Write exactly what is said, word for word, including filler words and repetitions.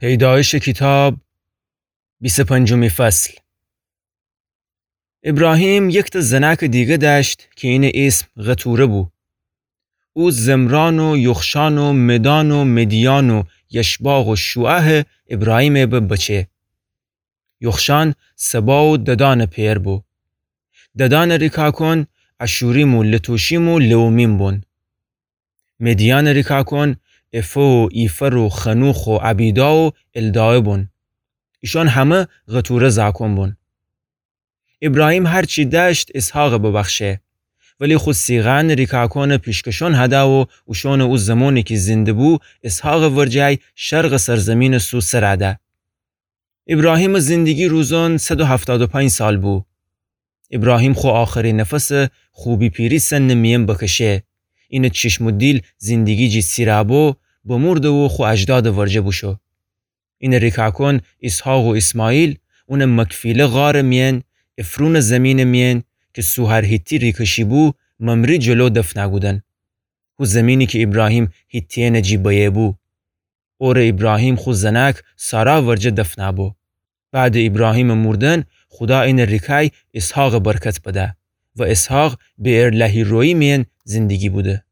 پیدایشٚ کیتاب، بیست و پنجمی فصل. ایبراهیم یکتأ زنأکٚ دیگه دأشت کی اینٚ ایسم قتوره بو. او زمران و یوخشان و مدان و مدیان و یشباق و شوعه ایبراهیمٚ به بچه. یوخشان سبا و ددانٚ پئر بو. ددانٚ ریکاکون اشوریم و لتوشیم و لئومیم بون. مدیانٚ ریکاکون افو و ایفر و خنوخ و ابیدا و الداعه بون. ایشون همه قتوره زاکون بون. ایبراهیم هر چی دأشت اسحاقٚ ببخشه. ولی خو صیغه‌یأنٚ ریکاکونٚ پیشکشون هده و اوشونٚ او زمونی کی زنده بو، اسحاقٚ ورجه شرقٚ سرزیمینٚ سو سر ده. ایبراهیمٚ زندگی روزون صد و هفتاد و پنج سال بو. ایبراهیم خو آخری نفسٚ خو بی‌پیری سنٚ میأن بکشه. اینٚ چشم و دیل زندگی جی سیرا بو، بمرده و خو اجدادٚ ورجه بوشو. اینٚ ریکاکون اسحاق و اسماعیل اونٚ مکفیله غارٚ میأن، افرونٚ زیمینٚ میأن کی سوهر حیتی ریکشی بو، ممره جلو دفنه کودن. هو زیمینی کی ایبراهیم حیتیأنٚ جی بیه بو. اوره ایبراهیم خو زنأک سارا ورجه دفنه بو. بعدٚ ایبراهیمٚ مردن خودا اینٚ ریکای اسحاقٚ برکت بده و اسحاق بئرلهی‌رویی میأن زندگی بوده.